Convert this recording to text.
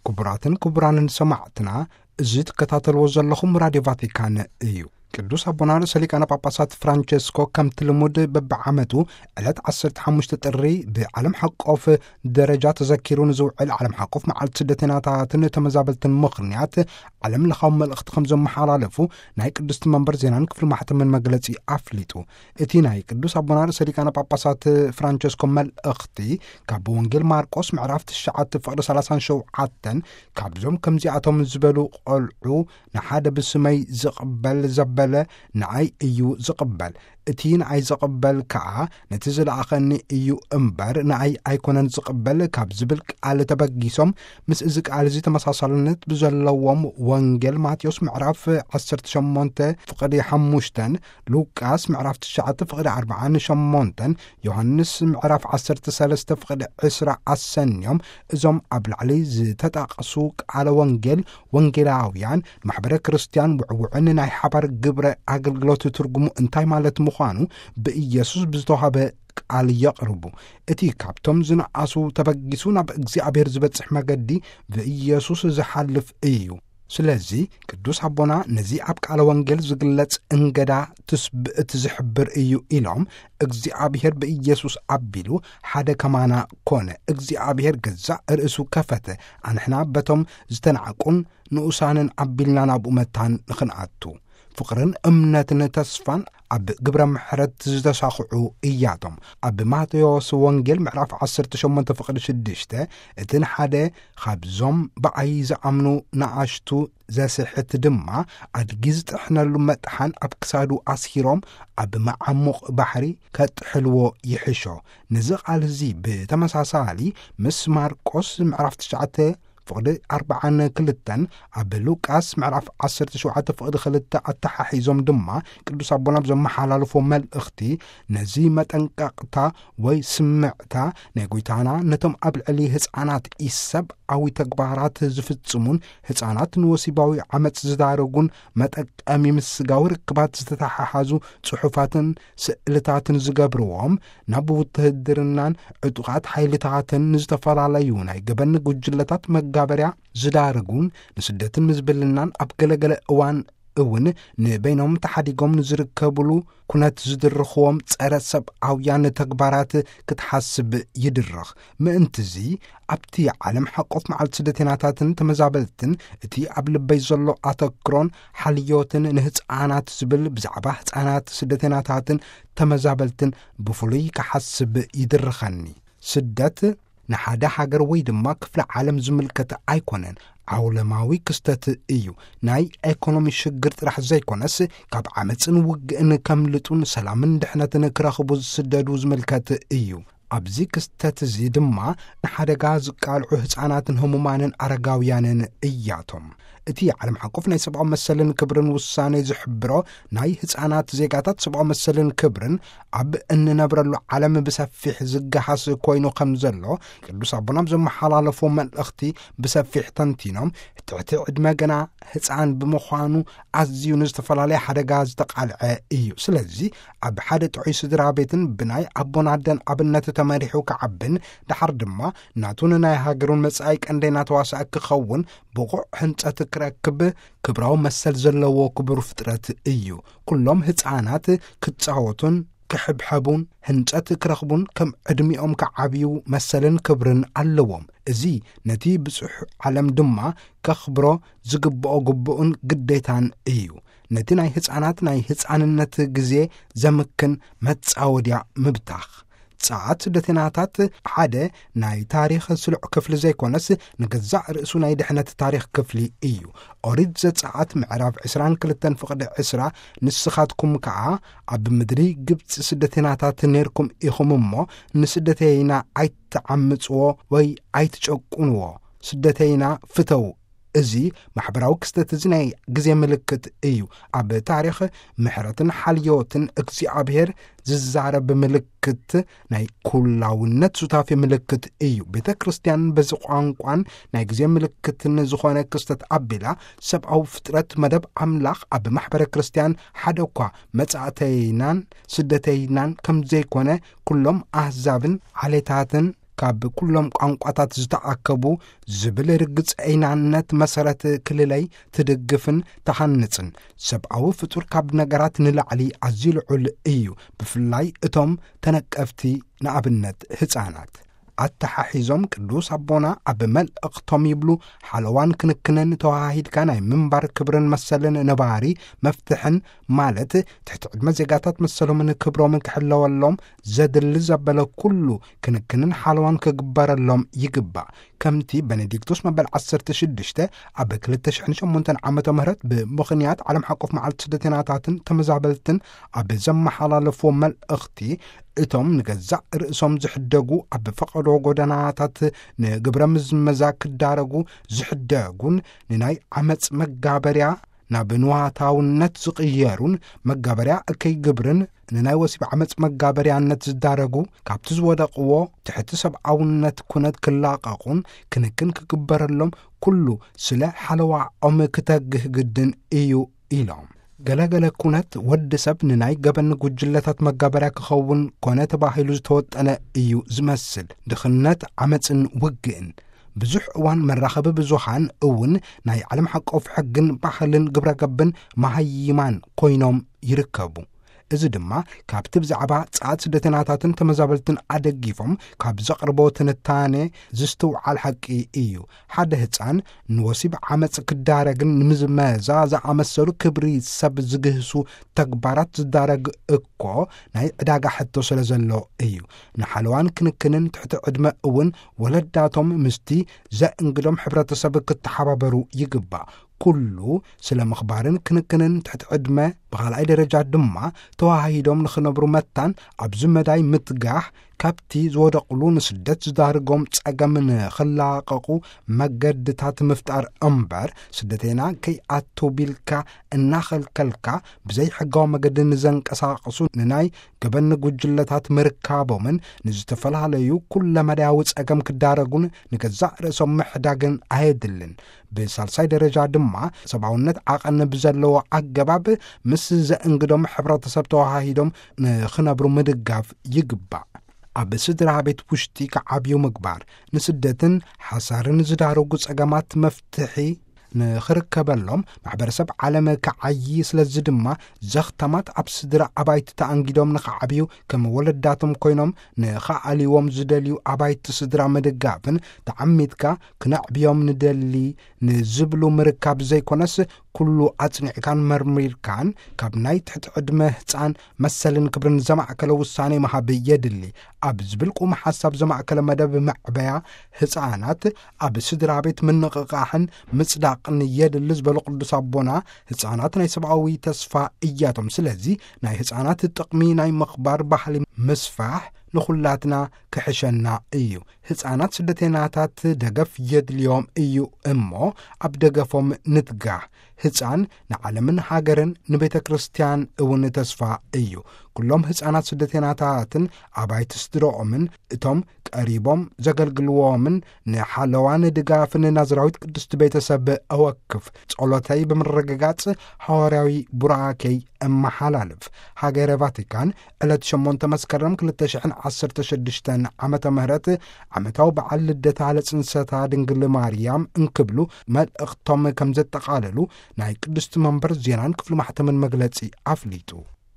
ክቡራትን ክቡራንን ሰማዕትና፣ እዚ ትከታተልዎ ዘለኹም ራድዮ ቫቲካን እዩ። ቅዱስ ኣቦና ርእሰ ሊቃነ ጳጳሳት ፍራንቸስኮ ከምቲ ልሙድ በብዓመቱ ዕለት ዓሰርተ ሓሙሽተ ጥሪ ብዓለም ሓቆፍ ደረጃ ተዘኪሩ ንዝውዕል ዓለም ሓቆፍ መዓልቲ ስደተኛታትን ተመዛበልትን ምኽንያት ዓለም ለኻዊ መልእኽቲ ከም ዘመሓላለፉ ናይ ቅድስቲ መንበር ዜናን ክፍሊ ማሕተምን መግለጺ ኣፍሊጡ። እቲ ናይ ቅዱስ ኣቦና ርእሰ ሊቃነ ጳጳሳት ፍራንቸስኮ መልእኽቲ ካብ ወንጌል ማርቆስ ምዕራፍ ትሽዓተ ፍቕዲ ሰላሳን ሸውዓተን ካብዞም ከምዚኣቶም ዝበሉ ቆልዑ ንሓደ ብስመይ ዝቕበል ዘበለ ንኣይ እዩ ዝቕበል፣ እቲ ንኣይ ዝቕበል ከኣ ነቲ ዝለኣኸኒ እዩ እምበር ንኣይ ኣይኮነን ዝቕበል ካብ ዝብል ቃል ተበጊሶም፣ ምስ እዚ ቃል እዚ ተመሳሳልነት ብዘለዎም ወንጌል ማቴዎስ ምዕራፍ ዓሰርተ ሸሞንተ ፍቕዲ ሓሙሽተን፣ ሉቃስ ምዕራፍ ትሽዓተ ፍቕዲ ኣርብዓን ሸሞንተን፣ ዮሃንስ ምዕራፍ ዓሰርተ ሰለስተ ፍቕዲ ዕስራ ኣሰንዮም እዞም ኣብ ላዕሊ ዝተጠቕሱ ቃለ ወንጌል ወንጌላውያን ማሕበረ ክርስቲያን ውዕውዕን ናይ ሓባር ግብረ ኣገልግሎት ትርጉሙ እንታይ ማለት ምዃኑ ብኢየሱስ ብዝተዋህበ ቃል የቕርቡ። እቲ ካብቶም ዝነኣሱ ተበጊሱ ናብ እግዚኣብሔር ዝበጽሕ መገዲ ብኢየሱስ ዝሓልፍ እዩ። ስለዚ ቅዱስ ኣቦና ነዚ ኣብ ቃለ ወንጌል ዝግለጽ እንገዳ ትስብእት ዝሕብር እዩ ኢሎም፣ እግዚኣብሔር ብኢየሱስ ኣቢሉ ሓደ ከማና ኮነ። እግዚኣብሔር ገዛእ ርእሱ ከፈተ። ኣንሕና በቶም ዝተናዕቁን ንኡሳንን ኣቢልና ናብኡ መታን ንኽንኣቱ። ፍቕርን እምነትን ተስፋን ኣብ ግብረ ምሕረት ዝተሳኽዑ እያቶም። ኣብ ማቴዎስ ወንጌል ምዕራፍ ዓሰርተ ሸሞንተ ፍቕዲ ሽዱሽተ፣ እቲ ንሓደ ካብዞም ብኣይ ዝኣምኑ ንኣሽቱ ዘስሕት ድማ ኣድጊ ዝጥሕነሉ መጥሓን ኣብ ክሳዱ ኣስሂሮም ኣብ መዓሙቕ ባሕሪ ከጥሕልዎ ይሕሾ። ነዚ ቃል እዚ ብተመሳሳሊ ምስ ማርቆስ ምዕራፍ ትሽዓተ ፍቕዲ ኣርብዓን ክልተን ኣብ ሉቃስ ምዕራፍ ዓሰርተ ሸውዓተ ፍቕዲ ክልተ ኣተሓሒዞም ድማ ቅዱስ ኣቦና ብዘመሓላለፎ መልእኽቲ ነዚ መጠንቀቕታ ወይ ስምዕታ ናይ ጐይታና ነቶም ኣብ ልዕሊ ህፃናት ኢሰብኣዊ ተግባራት ዝፍጽሙን ህፃናት ንወሲባዊ ዓመፅ ዝዳረጉን መጠቀሚ ምስ ስጋዊ ርክባት ዝተተሓሓዙ ጽሑፋትን ስእልታትን ዝገብርዎም ናብ ውትህድርናን ዕጡቓት ሓይልታትን ንዝተፈላለዩ ናይ ገበን ጉጅለታት መጋበርያ ዝዳርጉን ንስደትን ምዝብልናን ኣብ ገለገለ እዋን እውን ንበይኖም ተሓዲጎም ንዝርከብሉ ኩነት ዝድርኽዎም ጸረ ሰብኣውያን ተግባራት ክትሓስብ ይድርኽ። ምእንትዚ ኣብቲ ዓለም ሓቆፍ መዓልቲ ስደተናታትን ተመዛበልትን እቲ ኣብ ልበይ ዘሎ ኣተክሮን ሓልዮትን ንህፃናት ዝብል ብዛዕባ ህፃናት ስደተናታትን ተመዛበልትን ብፍሉይ ክሓስብ ይድርኸኒ። ስደት ንሓደ ሃገር ወይ ድማ ክፍለ ዓለም ዝምልከት ኣይኮነን። ዓውለማዊ ክስተት እዩ። ናይ ኤኮኖሚ ሽግር ጥራሕ ዘይኮነስ ካብ ዓመፅን ውግእን ከምልጡን ሰላምን ድሕነትን ክረኽቡ ዝስደዱ ዝምልከት እዩ። ኣብዚ ክስተት እዚ ድማ ንሓደጋ ዝቃልዑ ህፃናትን ህሙማንን ኣረጋውያንን እያቶም። እቲ ዓለም ሓቆፍ ናይ ሰብኣዊ መሰልን ክብርን ውሳኔ ዝሕብሮ ናይ ህፃናት ዜጋታት ሰብኣዊ መሰልን ክብርን ኣብ እንነብረሉ ዓለም ብሰፊሕ ዝገሃስ ኮይኑ ከም ዘሎ ቅዱስ ኣቦና ኣብ ዘመሓላለፎ መልእኽቲ ብሰፊሕ ተንቲኖም፣ ትሕቲ ዕድመ ገና ህፃን ብምዃኑ ኣዝዩ ንዝተፈላለየ ሓደጋ ዝተቓልዐ እዩ። ስለዚ ኣብ ሓደ ጥዑይ ስድራ ቤትን ብናይ ኣቦን ኣደን ኣብነት ተመሪሑ ክዓብን ደሓር ድማ ናቱን ናይ ሃገሩን መጻኢ ቀንደይና ተዋሳኢ ክኸውን ብቑዕ ህንጸት ክረክብ ክብራዊ መሰል ዘለዎ ክቡር ፍጥረት እዩ። ኩሎም ህፃናት ክጻወቱን ክሕብሐቡን ህንጸት ክረኽቡን ከም ዕድሚኦም ክዓብዩ መሰልን ክብርን ኣለዎም። እዚ ነቲ ብጹሕ ዓለም ድማ ከኽብሮ ዝግብኦ ግቡእን ግዴታን እዩ። ነቲ ናይ ህፃናት ናይ ህፃንነት ግዜ ዘምክን መጻወድያ ምብታኽ። ጸዓት ስደተናታት ሓደ ናይ ታሪኽ ስሉዕ ክፍሊ ዘይኮነስ ንገዛእ ርእሱ ናይ ድሕነት ታሪኽ ክፍሊ እዩ። ኦሪት ዘጸኣት ምዕራፍ ዕስራን ክልተን ፍቕዲ ዕስራ፣ ንስኻትኩም ከኣ ኣብ ምድሪ ግብጺ ስደተናታት ነርኩም ኢኹም እሞ ንስደተይና ኣይትዓምጽዎ ወይ ኣይትጨቁንዎ፣ ስደተይና ፍተው። እዚ ማሕበራዊ ክስተት እዚ ናይ ግዜ ምልክት እዩ። ኣብ ታሪኽ ምሕረትን ሓልዮትን እግዚኣብሔር ዝዛረብ ምልክት ናይ ኩላውነት ሱታፌ ምልክት እዩ። ቤተ ክርስቲያን በዚ ቋንቋን ናይ ግዜ ምልክትን ዝኾነ ክስተት ኣቢላ ሰብኣዊ ፍጥረት መደብ ኣምላኽ ኣብ ማሕበረ ክርስቲያን ሓደ እኳ መጻእተይናን ስደተይናን ከም ዘይኮነ ኩሎም ኣህዛብን ዓሌታትን ካብ ኩሎም ቋንቋታት ዝተኣከቡ ዝብል ርግጸይናነት መሰረት ክልለይ ትድግፍን ትሃንጽን፣ ሰብኣዊ ፍጡር ካብ ነገራት ንላዕሊ ኣዝዩ ልዑል እዩ፣ ብፍላይ እቶም ተነቀፍቲ፣ ንኣብነት ህጻናት። ኣተሓሒዞም ቅዱስ ኣቦና ኣብ መልእኽቶም ይብሉ፣ ሓለዋን ክንክንን ተዋሃሂድካ ናይ ምንባር ክብርን መሰልን ነባሪ መፍትሕን፣ ማለት ትሕቲ ዕድመ ዜጋታት መሰሎምን ክብሮምን ክሕለወሎም ዘድሊ ዘበለ ኩሉ ክንክንን ሓለዋን ክግበረሎም ይግባእ። ከምቲ በኔዲክቶስ መበል ዓሰርተ ሽዱሽተ ኣብ ክልተ ሽሕን ሸሞንተን ዓመተ ምህረት ብምኽንያት ዓለም ሓቆፍ መዓልቲ ስደተናታትን ተመዛበልትን ኣብ ዘመሓላለፍዎ መልእኽቲ፣ እቶም ንገዛእ ርእሶም ዝሕደጉ፣ ኣብ ፈቐዶ ጎደናታት ንግብረ ምዝመዛ ክዳረጉ ዝሕደጉን ንናይ ዓመጽ መጋበርያ ናብ ንዋታውነት ዝቕየሩን መጋበርያ እከይ ግብርን ንናይ ወሲብ ዓመጽ መጋበርያነት ዝዳረጉ፣ ካብቲ ዝወደቕዎ ትሕቲ ሰብኣውነት ኩነት ክላቐቑን ክንክን ክግበረሎም ኩሉ ስለ ሓለዋኦም ክተግህ ግድን እዩ ኢሎም። ገለገለ ኩነት ወዲ ሰብ ንናይ ገበን ጉጅለታት መጋበርያ ክኸውን ኮነ ተባሂሉ ዝተወጠነ እዩ ዝመስል። ድኽነት፣ ዓመጽን ውግእን። ብዙሕ እዋን መራኸቢ ብዙሃን እውን ናይ ዓለም ሓቆፍ ሕግን ባህልን ግብረ ገብን መሃይማን ኮይኖም ይርከቡ። እዚ ድማ ካብቲ ብዛዕባ ጸዓት ስደተናታትን ተመዛበልትን ኣደጊፎም ካብ ዘቕርቦ ትንታኔ ዝስትውዓል ሓቂ እዩ። ሓደ ህጻን ንወሲብ ዓመጽ ክዳረግን ንምዝመዛ ዝኣመሰሉ ክብሪ ሰብ ዝግህሱ ተግባራት ዝዳረግ እኮ ናይ ዕዳጋ ሕቶ ስለ ዘሎ እዩ። ንሓለዋን ክንክንን ትሕቲ ዕድመ እውን ወለዳቶም ምስቲ ዘእንግዶም ሕብረተሰብ ክተሓባበሩ ይግባእ። ኩሉ ስለ ምኽባርን ክንክንን ትሕቲ ዕድመ፣ ብኻልኣይ ደረጃ ድማ ተዋሃሂዶም ንኽነብሩ መታን ኣብዚ መዳይ ምትጋሕ፣ ካብቲ ዝወደቕሉ ንስደት ዝዳርጎም ጸገም ንኽላቐቑ መገድታት ምፍጣር እምበር፣ ስደተና ከይኣቱ ቢልካ እናኸልከልካ ብዘይሕጋዊ መገዲ ንዘንቀሳቕሱ ንናይ ገበን ጉጅለታት ምርካቦምን ንዝተፈላለዩ ኩለመዳያዊ ጸገም ክዳረጉን ንገዛእ ርእሶም ምሕዳግን ኣየድልን። ብሳልሳይ ደረጃ ድማ ሰብኣውነት ዓቐን ብዘለዎ ኣገባብ ምስ ዘእንግዶም ሕብረተሰብ ተዋሃሂዶም ንኽነብሩ ምድጋፍ ይግባእ። ኣብ ስድራ ቤት ውሽጢ ክዓብዩ ምግባር፣ ንስደትን ሓሳርን ዝዳረጉ ጸገማት መፍትሒ ንኽርከበሎም ማሕበረሰብ ዓለም ክዓዪ፣ ስለዚ ድማ ዘኽተማት ኣብ ስድራ ኣባይቲ ተኣንጊዶም ንኽዓብዩ፣ ከም ወለዳቶም ኮይኖም ንኽኣልይዎም ዝደልዩ ኣባይቲ ስድራ ምድጋፍን፣ ተዓሚትካ ክነዕብዮም ንደሊ ንዝብሉ ምርካብ ዘይኮነስ፣ ኩሉ ኣጽኒዕካን መርሚርካን ካብ ናይ ትሕቲ ዕድመ ህጻን መሰልን ክብርን ዘማእከለ ውሳኔ ምሃብ የድሊ ኣብ ዝብል ቁም ሓሳብ ዘማእከለ መደብ መዕበያ ህጻናት ኣብ ስድራ ቤት ምንቕቓሕን ምጽዳቕን የድሊ ዝበሉ ቅዱስ ኣቦና፣ ህጻናት ናይ ሰብኣዊ ተስፋ እያቶም። ስለዚ ናይ ህጻናት ጥቕሚ ናይ ምኽባር ባህሊ ምስፋሕ ንኹላትና ክሕሸና እዩ። ህጻናት ስደተናታት ደገፍ የድልዮም እዩ እሞ፣ ኣብ ደገፎም ንትጋህ። ህጻን ንዓለምን ሃገርን ንቤተ ክርስቲያን እውን ተስፋ እዩ። ኩሎም ህጻናት ስደተናታትን ኣባይቲ ስድረኦምን፣ እቶም ቀሪቦም ዘገልግልዎምን፣ ንሓለዋን ድጋፍን ናዝራዊት ቅድስቲ ቤተሰብ እወክፍ። ጸሎተይ ብምርግጋጽ፣ ሃዋርያዊ ቡራኬይ እመሓላልፍ። ሃገረ ቫቲካን ዕለት ሸሞንተ መስከረም ክልተ ሽሕን ዓሰርተ ሽዱሽተን ዓመተ ምህረት ዓመታዊ በዓል ልደታ ለጽንሰታ ድንግል ማርያም እንክብሉ መልእኽቶም ከም ዘጠቓለሉ ናይ ቅድስቲ መንበር ዜናን ክፍሊ ማሕተምን መግለጺ ኣፍሊጡ።